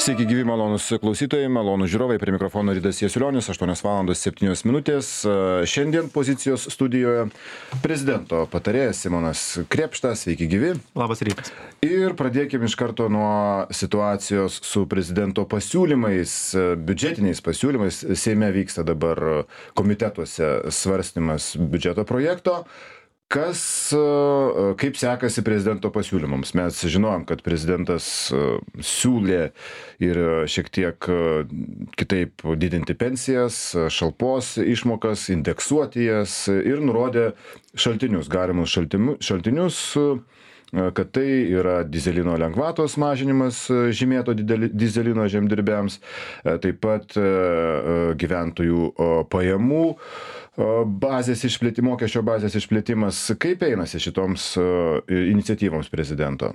Sveiki, gyvi malonus klausytojai, malonus žiūrovai, prie mikrofono Rydas Jasiulionis, 8:07. Šiandien pozicijos studijoje prezidento patarėjas Simonas Krėpštas. Sveiki, gyvi. Labas rytas. Ir pradėkime iš karto nuo situacijos su prezidento pasiūlymais, biudžetiniais pasiūlymais. Seime vyksta dabar komitetuose svarstymas biudžeto projekto. Kaip sekasi prezidento pasiūlymams? Mes žinojom, kad prezidentas siūlė ir šiek tiek kitaip didinti pensijas, šalpos išmokas, indeksuoti jas ir nurodė šaltinius, galimus šaltinius, kad tai yra dizelino lengvatos mažinimas žymėto dizelino žemdirbiams, taip pat gyventojų pajamų bazės išplėtimas, mokesčio bazės išplėtimas. Kaip einasi šitoms iniciatyvoms prezidento?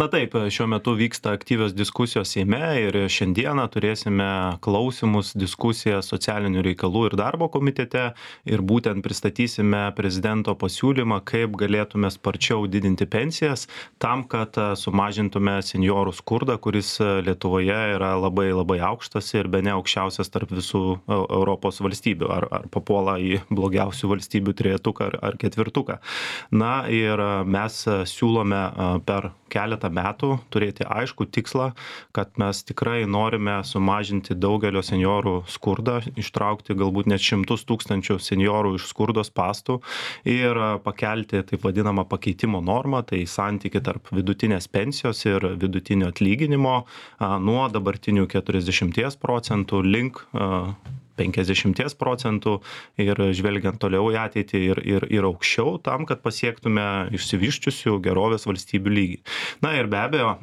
Na taip, šiuo metu vyksta aktyvios diskusijos Seime ir šiandieną turėsime klausimus, diskusiją socialinių reikalų ir darbo komitete ir būtent pristatysime prezidento pasiūlymą, kaip galėtume sparčiau didinti pensijas tam, kad sumažintume seniorų skurdą, kuris Lietuvoje yra labai aukštas ir bene aukščiausias tarp visų Europos valstybių, ar papuola į blogiausių valstybių trejetuką ar ketvirtuką. Na ir mes siūlome per keletą metų turėti aiškų tikslą, kad mes tikrai norime sumažinti daugelio seniorų skurdą, ištraukti galbūt net 100 000 seniorų iš skurdo spąstų ir pakelti taip vadinamą pakeitimo normą, tai santykį tarp vidutinės pensijos ir vidutinio atlyginimo nuo dabartinių 40% link 50% ir žvelgiant toliau į ateitį ir aukščiau tam, kad pasiektume išsivyščiusių gerovės valstybių lygį. Na ir be abejo,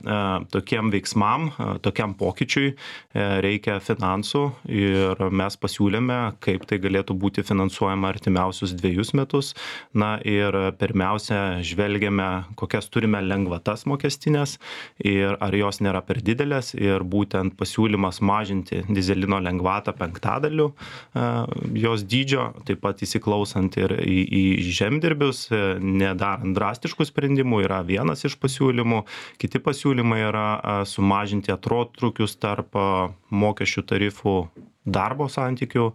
tokiem veiksmam, tokiam pokyčiui reikia finansų ir mes pasiūlėme, kaip tai galėtų būti finansuojama artimiausius 2 metus. Na ir pirmiausia, žvelgiame, kokias turime lengvatas mokestinės ir ar jos nėra per didelės ir būtent pasiūlymas mažinti dizelino lengvatą 5% jos dydžio, taip pat įsiklausant ir į žemdirbius, nedarant drastiškų sprendimų, yra vienas iš pasiūlymų. Kiti pasiūlymai yra sumažinti atotrūkius tarp mokesčių tarifų darbo santykių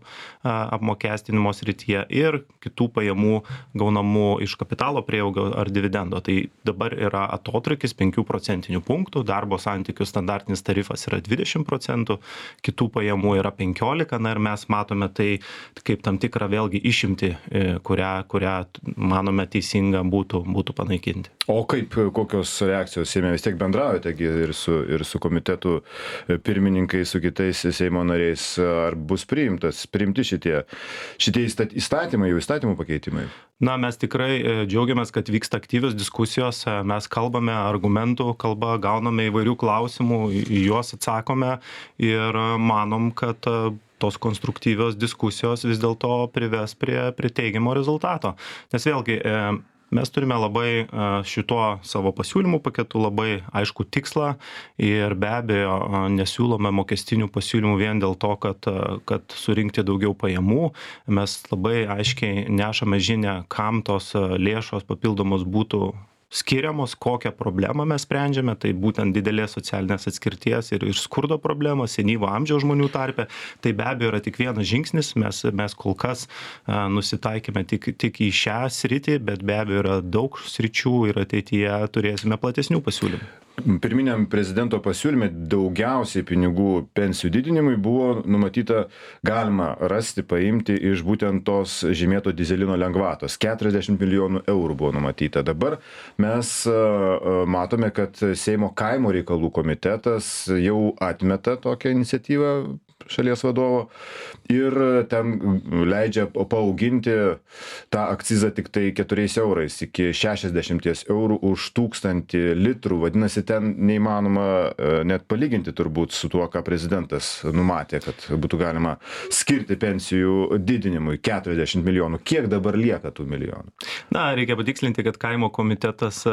apmokestinimo srityje ir kitų pajamų gaunamų iš kapitalo prieaugio ar dividendo. Tai dabar yra atotrūkis 5% punktų, darbo santykių standartinis tarifas yra 20%, kitų pajamų yra 15%, na ir mes matome tai kaip tam tikrą vėlgi išimtį, kurią manome teisinga būtų panaikinti. O kokios reakcijos Seime? Vis tiek bendraujate ir su komitetų pirmininkais, su kitais Seimo nariais. Ar bus priimti šitie įstatymų pakeitimai? Na, mes tikrai džiaugiamės, kad vyksta aktyvios diskusijos, mes kalbame argumentų kalba, gauname įvairių klausimų, į juos atsakome ir manom, kad tos konstruktyvios diskusijos vis dėlto prives prie teigiamo rezultato. Nes vėlgi, mes turime labai šituo savo pasiūlymų paketu labai aišku tikslą ir be abejo nesiūlome mokestinių pasiūlymų vien dėl to, kad surinkti daugiau pajamų. Mes labai aiškiai nešame žinią, kam tos lėšos papildomos būtų skiriamos, kokią problemą mes sprendžiame, tai būtent didelės socialinės atskirties ir skurdo problema, senyvo amžiaus žmonių tarpe. Tai be abejo yra tik vienas žingsnis, mes kol kas nusitaikėme tik į šią sritį, bet be abejo yra daug sričių ir ateityje turėsime platesnių pasiūlymų. Pirminiam prezidento pasiūlyme daugiausiai pinigų pensijų didinimui buvo numatyta, galima rasti, paimti iš būtent tos žymėto dizelino lengvatos. 40 milijonų eurų buvo numatyta. Dabar mes matome, kad Seimo kaimo reikalų komitetas jau atmeta tokią iniciatyvą šalies vadovo ir ten leidžia paauginti tą akcizą tik tai 4 eurais iki 60 eurų už 1000 litrų. Vadinasi, ten neįmanoma net palyginti turbūt su tuo, ką prezidentas numatė, kad būtų galima skirti pensijų didinimui 40 milijonų. Kiek dabar lieka tų milijonų? Na, reikia patikslinti, kad kaimo komitetas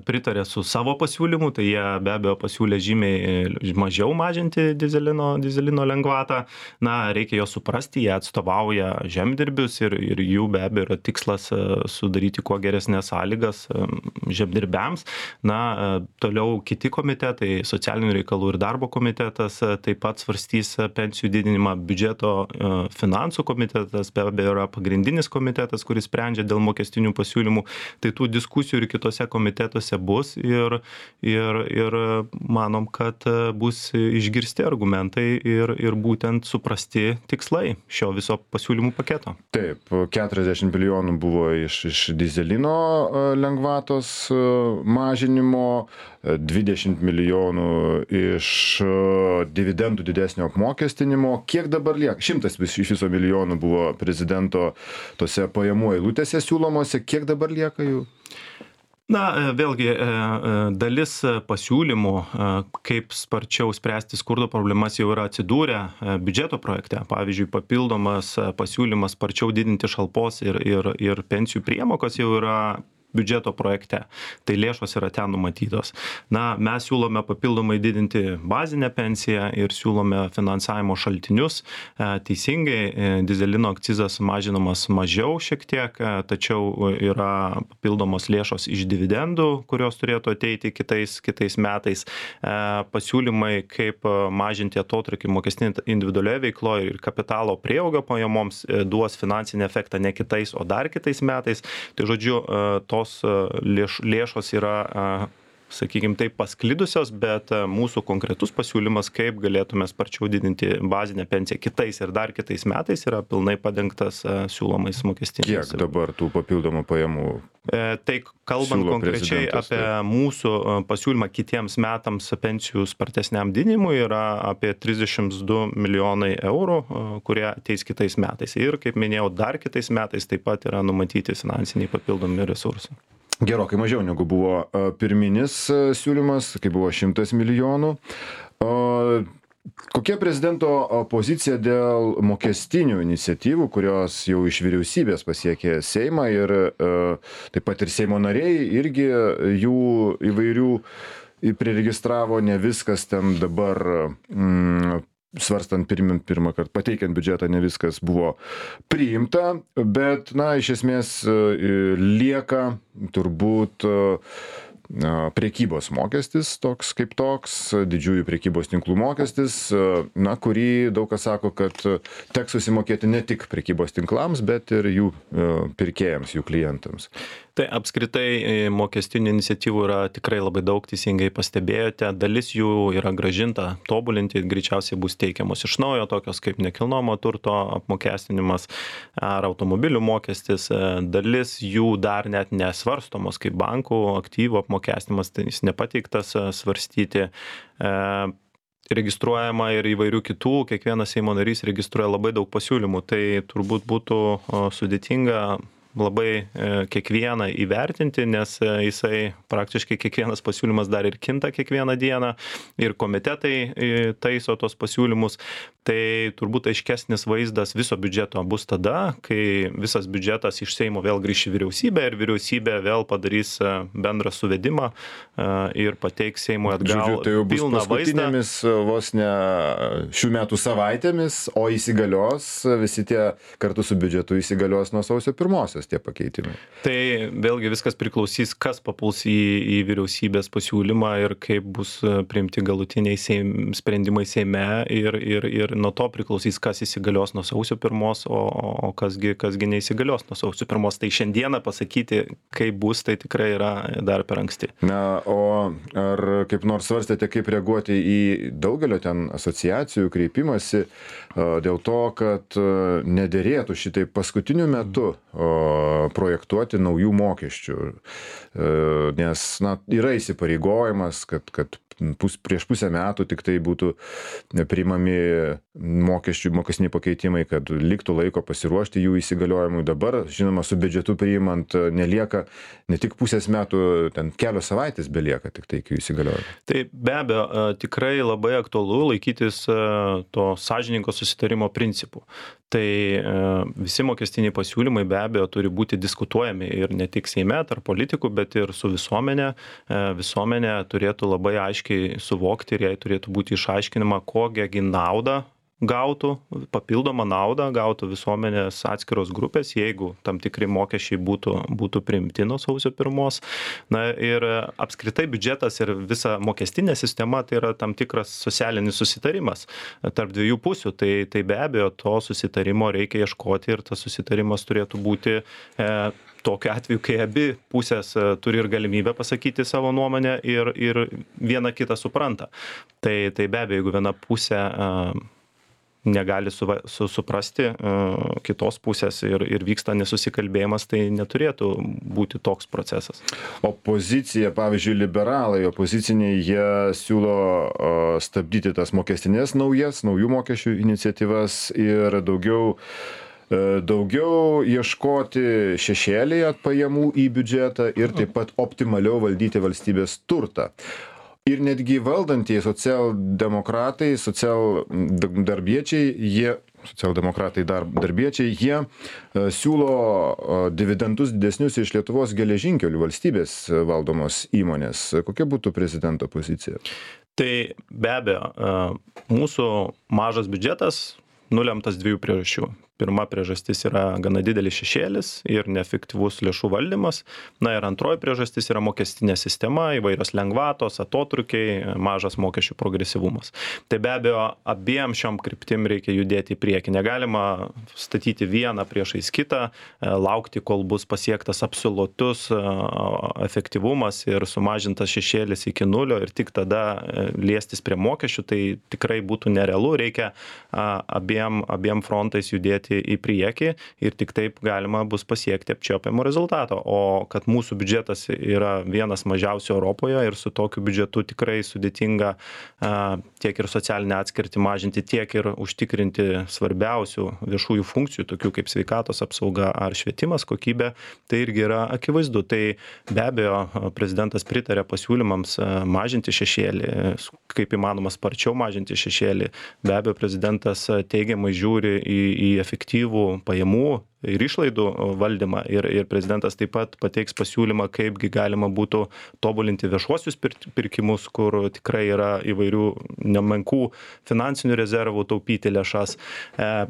pritarė su savo pasiūlymu, tai jie be abejo pasiūlė žymiai mažiau mažinti dizelino lengvatą. lengvatą. Na, reikia juos suprasti, jie atstovauja žemdirbius ir jų be abejo yra tikslas sudaryti kuo geresnės sąlygas žemdirbiams. Na, toliau kiti komitetai, socialinių reikalų ir darbo komitetas taip pat svarstys pensijų didinimą, biudžeto finansų komitetas be abejo yra pagrindinis komitetas, kuris sprendžia dėl mokestinių pasiūlymų. Tai tų diskusijų ir kitose komitetuose bus ir manom, kad bus išgirsti argumentai ir būtent suprasti tikslai šio viso pasiūlymų paketo. Taip, 40 milijonų buvo iš dyzelino lengvatos mažinimo, 20 milijonų iš dividendų didesnio apmokestinimo. Kiek dabar lieka? 100 iš viso milijonų buvo prezidento tose pajamų eilutėse siūlomose. Kiek dabar lieka jų? Na, vėlgi, dalis pasiūlymų, kaip sparčiau spręsti skurdo problemas, jau yra atsidūrę biudžeto projekte. Pavyzdžiui, papildomas pasiūlymas sparčiau didinti šalpos ir pensijų priemokas jau yra biudžeto projekte. Tai lėšos yra ten numatytos. Na, mes siūlome papildomai didinti bazinę pensiją ir siūlome finansavimo šaltinius. Teisingai, dyzelino akcizas mažinamas mažiau šiek tiek, tačiau yra papildomos lėšos iš dividendų, kurios turėtų ateiti kitais metais. Pasiūlymai, kaip mažinti atotrūkį mokestinį individualioje veikloje ir kapitalo prieaugio pajamoms duos finansinį efektą ne kitais, o dar kitais metais. Tai žodžiu, tos lėšos yra, sakykime, taip pasklidusios, bet mūsų konkretus pasiūlymas, kaip galėtume sparčiau didinti bazinę pensiją kitais ir dar kitais metais, yra pilnai padengtas siūlomais mokestiniais. Kiek dabar tų papildomų pajamų? Tai kalbant konkrečiai apie mūsų pasiūlymą kitiems metams pensijų spartesniam didinimui yra apie 32 milijonai eurų, kurie ateis kitais metais. Ir, kaip minėjau, dar kitais metais taip pat yra numatyti finansiniai papildomi resursai. Gerokai mažiau negu buvo pirminis siūlymas, kai buvo 100 milijonų. Kokia prezidento pozicija dėl mokestinių iniciatyvų, kurios jau iš vyriausybės pasiekė Seimą ir taip pat ir Seimo nariai irgi jų įvairių priregistravo, ne viskas ten dabar svarstant pirmą kartą, pateikiant biudžetą, ne viskas buvo priimta, bet, na, iš esmės lieka turbūt prekybos mokestis toks kaip toks, didžiųjų prekybos tinklų mokestis, na, kurį daug kas sako, kad teks susimokėti ne tik prekybos tinklams, bet ir jų pirkėjams, jų klientams. Tai apskritai mokestinių iniciatyvų yra tikrai labai daug, teisingai pastebėjote. Dalis jų yra grąžinta, tobulinti, greičiausiai bus teikiamos iš naujo, tokios kaip nekilnojamo turto apmokestinimas ar automobilių mokestis. Dalis jų dar net nesvarstomos kaip bankų aktyvų apmokestinimas, tai jis nepateiktas svarstyti. Registruojama ir įvairių kitų, kiekvienas Seimo narys registruoja labai daug pasiūlymų, tai turbūt būtų sudėtinga labai kiekvieną įvertinti, nes jisai praktiškai kiekvienas pasiūlymas dar ir kinta kiekvieną dieną ir komitetai taiso tos pasiūlymus. Tai turbūt aiškesnis vaizdas viso biudžeto bus tada, kai visas biudžetas iš Seimo vėl grįš į vyriausybę ir vyriausybė vėl padarys bendrą suvedimą ir pateiks Seimui atgal tai jau bus pilną vaizdą. paskutinėmis vos ne šių metų savaitėmis, o įsigalios visi tie kartu su biudžetu įsigalios nuo sausio 1 tie pakeitimai. Tai vėlgi viskas priklausys, kas papuls į vyriausybės pasiūlymą ir kaip bus priimti galutiniai sprendimai Seime ir nuo to priklausys, kas įsigalios nuo sausio 1, o kasgi neįsigalios nuo sausio 1. Tai šiandieną pasakyti, kaip bus, tai tikrai yra dar per anksti. Na, o ar kaip nors svarstėte, kaip reaguoti į daugelio ten asociacijų kreipimąsi dėl to, kad nederėtų šitai paskutiniu metu projektuoti naujų mokesčių, nes, na, yra įsipareigojimas, kad prieš pusę metų tik tai būtų priimami mokestiniai pakeitimai, kad liktų laiko pasiruošti jų įsigaliojimui. Dabar, žinoma, su biudžetu priimant nelieka ne tik pusės metų, ten kelios savaitės belieka tik tai iki jų įsigaliojimo. Tai be abejo, tikrai labai aktualu laikytis to sąžiningo susitarimo principų. Tai visi mokestiniai pasiūlymai be abejo turi būti diskutuojami ir ne tik Seime tarp politikų, bet ir su visuomenė. Visuomenė turėtų labai aiškiai suvokti ir jai turėtų būti išaiškinama, kokią naudą gautų papildomą naudą, gautų visuomenės atskiros grupės, jeigu tam tikri mokesčiai būtų priimti nuo sausio 1. Na ir apskritai biudžetas ir visa mokestinė sistema tai yra tam tikras socialinis susitarimas tarp dviejų pusių. Tai be abejo to susitarimo reikia ieškoti ir tas susitarimas turėtų būti tokiu atveju, kai abi pusės turi ir galimybę pasakyti savo nuomonę ir viena kitą supranta. Tai be abejo, jeigu viena pusė negali suprasti kitos pusės ir vyksta nesusikalbėjimas, tai neturėtų būti toks procesas. Opozicija, pavyzdžiui, liberalai, opoziciniai, jie siūlo stabdyti tas mokestinės naujų mokesčių iniciatyvas ir daugiau ieškoti šešėlyje pajamų į biudžetą ir taip pat optimaliau valdyti valstybės turtą. Ir netgi valdantieji socialdemokratai, darbiečiai, jie siūlo dividendus didesnius iš Lietuvos geležinkelių valstybės valdomos įmonės. Kokia būtų prezidento pozicija? Tai be abejo, mūsų mažas biudžetas nulemtas dviejų priežasčių. Pirma priežastis yra gana didelis šešėlis ir neefektyvus lėšų valdymas. Na ir antroji priežastis yra mokestinė sistema, įvairios lengvatos, atotrukiai, mažas mokesčių progresyvumas. Tai be abejo, abiem šiom kryptim reikia judėti į priekį. Negalima statyti vieną priešais kitą, laukti, kol bus pasiektas absoliutus efektyvumas ir sumažintas šešėlis iki nulio ir tik tada liestis prie mokesčių. Tai tikrai būtų nerealu, reikia abiem frontais judėti į priekį ir tik taip galima bus pasiekti apčiuopiamo rezultato. O kad mūsų biudžetas yra vienas mažiausių Europoje ir su tokiu biudžetu tikrai sudėtinga tiek ir socialinę atskirtį mažinti, tiek ir užtikrinti svarbiausių viešųjų funkcijų, tokių kaip sveikatos apsauga ar švietimas kokybė, tai irgi yra akivaizdu. Tai be abejo, prezidentas pritarė pasiūlymams mažinti šešėlį, kaip įmanoma sparčiau mažinti šešėlį. Be abejo, prezidentas teigiamai žiūri į efektyvų pajamų ir išlaidų valdymą ir prezidentas taip pat pateiks pasiūlymą, kaipgi galima būtų tobulinti viešuosius pirkimus, kur tikrai yra įvairių nemenkų finansinių rezervų, taupyti lėšas,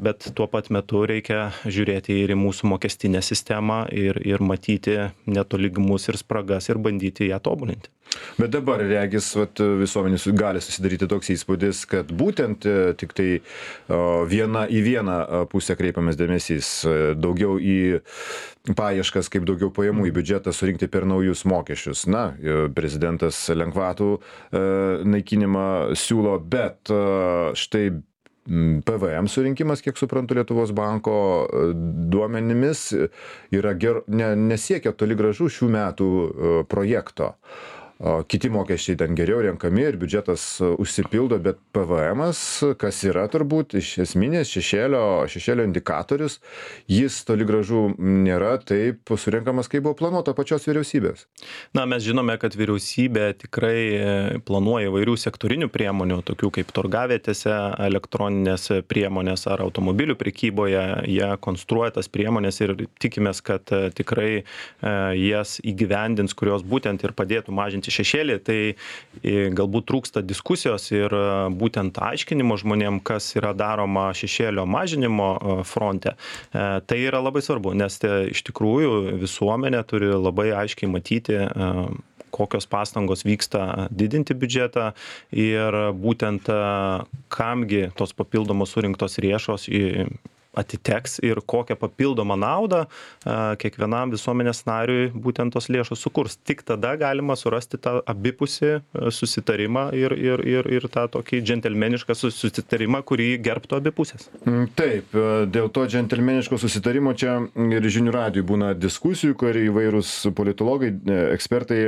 bet tuo pat metu reikia žiūrėti ir į mūsų mokestinę sistemą ir matyti netolygumus ir spragas ir bandyti ją tobulinti. Bet dabar, regis, visuomenės gali susidaryti toks įspūdis, kad būtent tik tai į vieną pusę kreipiamas dėmesys, daugiau į paieškas, kaip daugiau pajamų į biudžetą surinkti per naujus mokesčius. Na, prezidentas lengvatų naikinimą siūlo, bet štai PVM surinkimas, kiek suprantu, Lietuvos banko duomenimis nesiekia toli gražu šių metų projekto. Kiti mokesčiai ten geriau renkami ir biudžetas užsipildo, bet PVM'as, kas yra turbūt iš esminės šešėlio indikatorius, jis toli gražu nėra taip surenkamas, kaip buvo planuota pačios vyriausybės. Na, mes žinome, kad vyriausybė tikrai planuoja įvairių sektorinių priemonių, tokių kaip turgavietėse, elektroninės priemonės ar automobilių prekyboje. Jie konstruoja tas priemonės ir tikimės, kad tikrai jas įgyvendins, kurios būtent ir padėtų mažinti šešėlį. Tai galbūt trūksta diskusijos ir būtent aiškinimo žmonėm, kas yra daroma šešėlio mažinimo fronte. Tai yra labai svarbu, nes iš tikrųjų visuomenė turi labai aiškiai matyti, kokios pastangos vyksta didinti biudžetą ir būtent kamgi tos papildomos surinktos lėšos atiteks ir kokią papildomą naudą kiekvienam visuomenės nariui būtent tos lėšos sukurs. Tik tada galima surasti tą abipusį susitarimą ir tą tokį džentelmenišką susitarimą, kurį gerbtų abi pusės. Taip, dėl to džentelmeniško susitarimo čia ir žinių radijui būna diskusijų, kur įvairūs politologai, ekspertai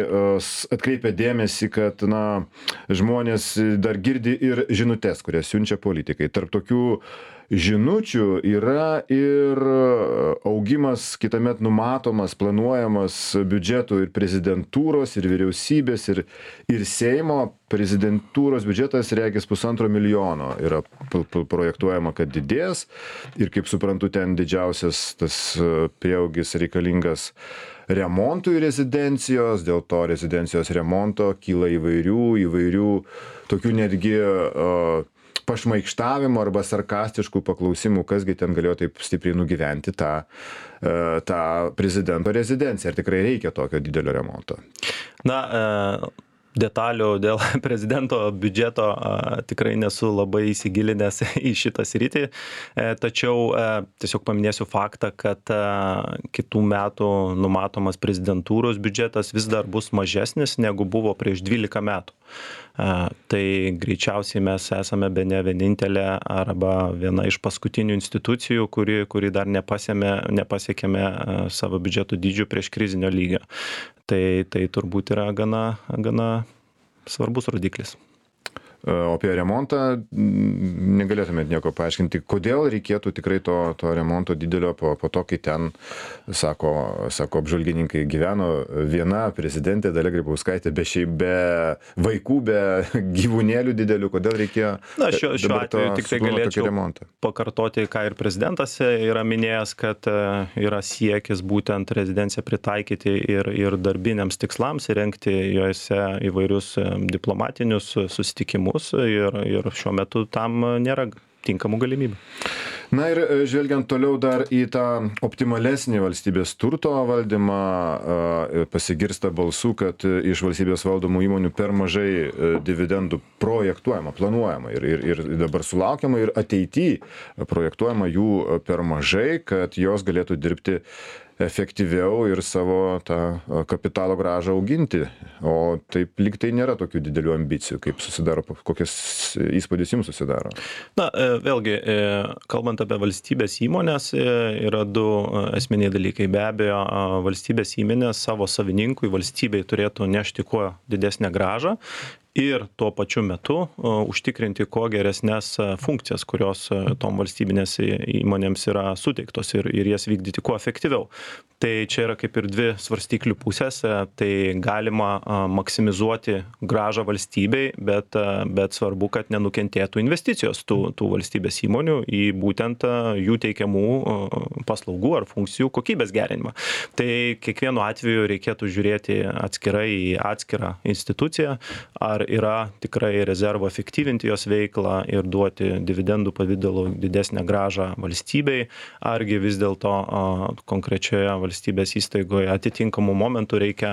atkreipia dėmesį, kad žmonės dar girdi ir žinutes, kurias siunčia politikai. Tarp tokių žinučių yra ir augimas kitąmet numatomas, planuojamas biudžetų ir prezidentūros, ir vyriausybės, ir Seimo. Prezidentūros biudžetas regis 1,5 milijono yra projektuojama, kad didės. Ir kaip suprantu, ten didžiausias tas prieaugis reikalingas remontui rezidencijos, dėl to rezidencijos remonto kyla įvairių tokių netgi pašmaikštavimų arba sarkastiškų paklausimų, kasgi ten galėjo taip stipriai nugyventi tą prezidento rezidenciją. Ar tikrai reikia tokio didelio remonto? Na, detalių dėl prezidento biudžeto tikrai nesu labai įsigilinęs į šitą sritį, tačiau tiesiog paminėsiu faktą, kad kitų metų numatomas prezidentūros biudžetas vis dar bus mažesnis negu buvo prieš 12 metų. Tai greičiausiai mes esame bene vienintelė arba viena iš paskutinių institucijų, kuri dar nepasiekėme savo biudžeto dydžių prieš krizinio lygio. Tai turbūt yra gana svarbus rodiklis. O apie remontą negalėtumėt nieko paaiškinti, kodėl reikėtų tikrai to remonto didelio po to, kai ten, sako apžvalgininkai, gyveno viena prezidentė Dalia Grybauskaitė be vaikų, be gyvūnėlių didelių, kodėl reikėjo šiuo atveju tik tai galėčiau pakartoti, ką ir prezidentas yra minėjęs, kad yra siekis būtent rezidenciją pritaikyti ir darbiniams tikslams, įrengti juose įvairius diplomatinius susitikimus. Ir šiuo metu tam nėra tinkamų galimybių. Na ir žvelgiant toliau dar į tą optimalesnį valstybės turto valdymą, pasigirsta balsų, kad iš valstybės valdomų įmonių per mažai dividendų projektuojama, planuojama ir dabar sulaukiama ir ateityje projektuojama jų per mažai, kad jos galėtų dirbti efektyviau ir savo tą kapitalo grąžą auginti. O taip lyg tai nėra tokių didelių ambicijų, kaip susidaro, kokias įspūdis jums susidaro? Na, vėlgi, kalbant apie valstybės įmonės, yra du esminiai dalykai. Be abejo, valstybės įmonės savo savininkui, valstybei turėtų nešti kuo didesnę grąžą ir tuo pačiu metu užtikrinti kuo geresnės funkcijas, kurios tom valstybinės įmonėms yra suteiktos ir jas vykdyti kuo efektyviau. Tai čia yra kaip ir dvi svarstyklių pusės, tai galima maksimizuoti grąžą valstybei, bet svarbu, kad nenukentėtų investicijos tų valstybės įmonių į būtent jų teikiamų paslaugų ar funkcijų kokybės gerinimą. Tai kiekvienu atveju reikėtų žiūrėti atskirai į atskirą instituciją, ar yra tikrai rezervo efektyvinti jos veiklą ir duoti dividendų pavidalu didesnę grąžą valstybei, argi vis dėlto konkrečioje valstybės įstaigoje atitinkamų momentų reikia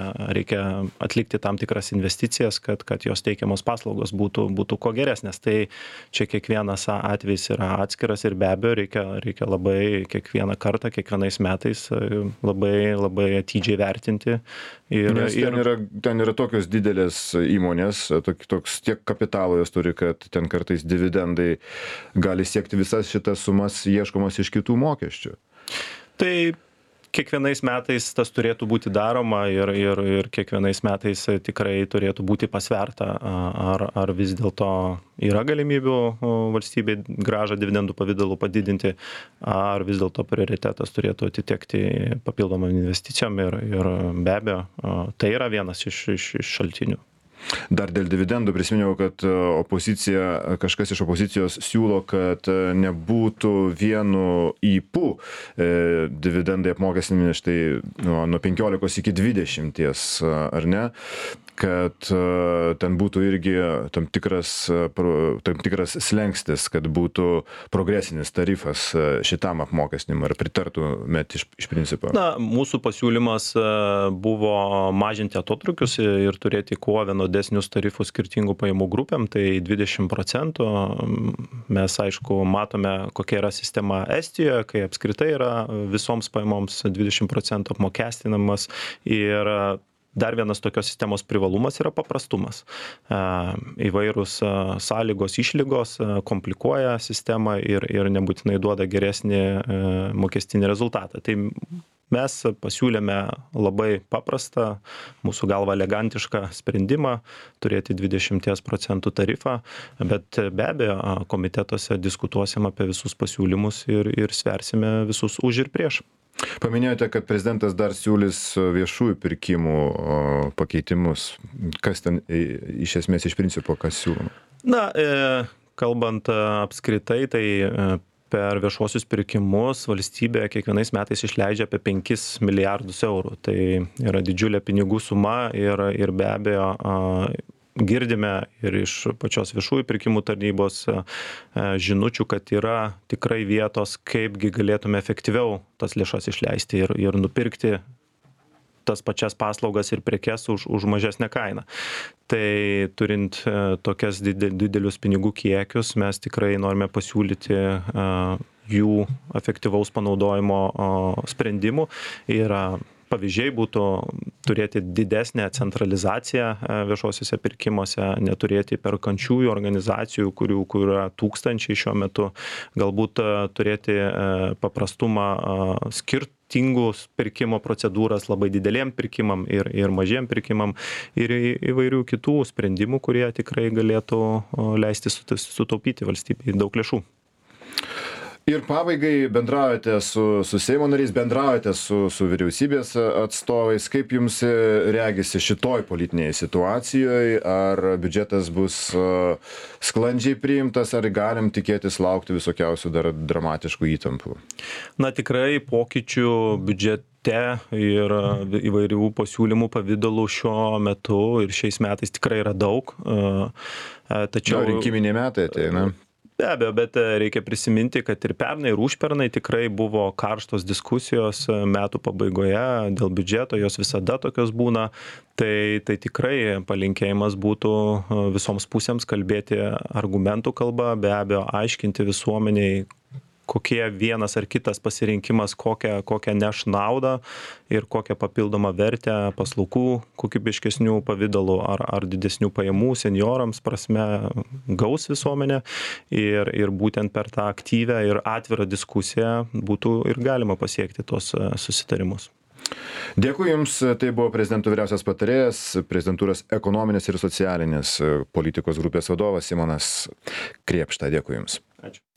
atlikti tam tikras investicijas, kad jos teikiamos paslaugos būtų kuo geresnės. Tai čia kiekvienas atvejis yra atskiras ir be abejo reikia labai kiekvieną kartą, kiekvienais metais labai atidžiai vertinti. Nes ten yra tokios didelės įmonės, toks tiek kapitalo jos turi, kad ten kartais dividendai gali siekti visas šitas sumas ieškomas iš kitų mokesčių. Tai kiekvienais metais tas turėtų būti daroma ir kiekvienais metais tikrai turėtų būti pasverta, ar vis dėlto yra galimybių valstybei grąžą dividendų pavidalu padidinti, ar vis dėlto prioritetas turėtų atitekti papildomam investicijom ir be abejo, tai yra vienas iš šaltinių. Dar dėl dividendų prisiminiau, kad kažkas iš opozicijos siūlo, kad nebūtų vienu ypu dividendai apmokestinami štai nuo 15 iki 20, ar ne? Kad ten būtų irgi tam tikras slengstis, kad būtų progresinis tarifas šitam apmokestinimui. Ar pritartumėt iš principo? Na, mūsų pasiūlymas buvo mažinti atotrukius ir turėti kuo vienodesnius tarifus skirtingų pajamų grupėm, tai 20%. Mes, aišku, matome, kokia yra sistema Estijoje, kai apskritai yra visoms pajamoms 20% apmokestinamas ir dar vienas tokios sistemos privalumas yra paprastumas. Įvairūs sąlygos, išlygos komplikuoja sistemą ir nebūtinai duoda geresnį mokestinį rezultatą. Tai mes pasiūlėme labai paprastą, mūsų galva elegantišką sprendimą turėti 20% tarifą, bet be abejo komitetuose diskutuosim apie visus pasiūlymus ir sversime visus už ir prieš. Paminėjote, kad prezidentas dar siūlys viešųjų pirkimų pakeitimus. Kas ten iš esmės iš principo, kas siūloma? Na, kalbant apskritai, tai per viešuosius pirkimus valstybė kiekvienais metais išleidžia apie 5 milijardus eurų. Tai yra didžiulė pinigų suma ir be abejo girdime ir iš pačios viešųjų pirkimų tarnybos žinučių, kad yra tikrai vietos, kaipgi galėtume efektyviau tas lėšas išleisti ir nupirkti tas pačias paslaugas ir prekes už mažesnę kainą. Tai turint tokias didelius pinigų kiekius, mes tikrai norime pasiūlyti jų efektyvaus panaudojimo sprendimų. Ir pavyzdžiai būtų turėti didesnę centralizaciją viešuosiuose pirkimuose, neturėti perkančiųjų organizacijų, kurių yra tūkstančiai šiuo metu, galbūt turėti paprastumą skirtingus pirkimo procedūras labai dideliem pirkimam ir mažiem pirkimam ir įvairių kitų sprendimų, kurie tikrai galėtų leisti sutaupyti valstybei daug lėšų. Ir pabaigai bendraujate su Seimo nariais, bendraujate su vyriausybės atstovais. Kaip jums regisi šitoj politinėje situacijoje? Ar biudžetas bus sklandžiai priimtas, ar galim tikėtis laukti visokiausių dar dramatiškų įtampų? Na, tikrai pokyčių biudžete ir įvairių pasiūlymų pavydalų šiuo metu ir šiais metais tikrai yra daug. Tačiau rinkiminiai metai ateina. Be abejo, bet reikia prisiminti, kad ir pernai, ir užpernai tikrai buvo karštos diskusijos metų pabaigoje dėl biudžeto, jos visada tokios būna. Tai tikrai palinkėjimas būtų visoms pusėms kalbėti argumentų kalba, be abejo, aiškinti visuomeniai, kokie vienas ar kitas pasirinkimas, kokią neš naudą ir kokią papildomą vertę paslaugų kokybiškesnių pavydalų ar didesnių pajamų seniorams prasme gaus visuomenė ir būtent per tą aktyvę ir atvirą diskusiją būtų ir galima pasiekti tos susitarimus. Dėkui Jums, tai buvo prezidento vyriausias patarėjas, prezidentūros ekonominės ir socialinės politikos grupės vadovas Simonas Krėpšta. Dėkui Jums. Ačiū.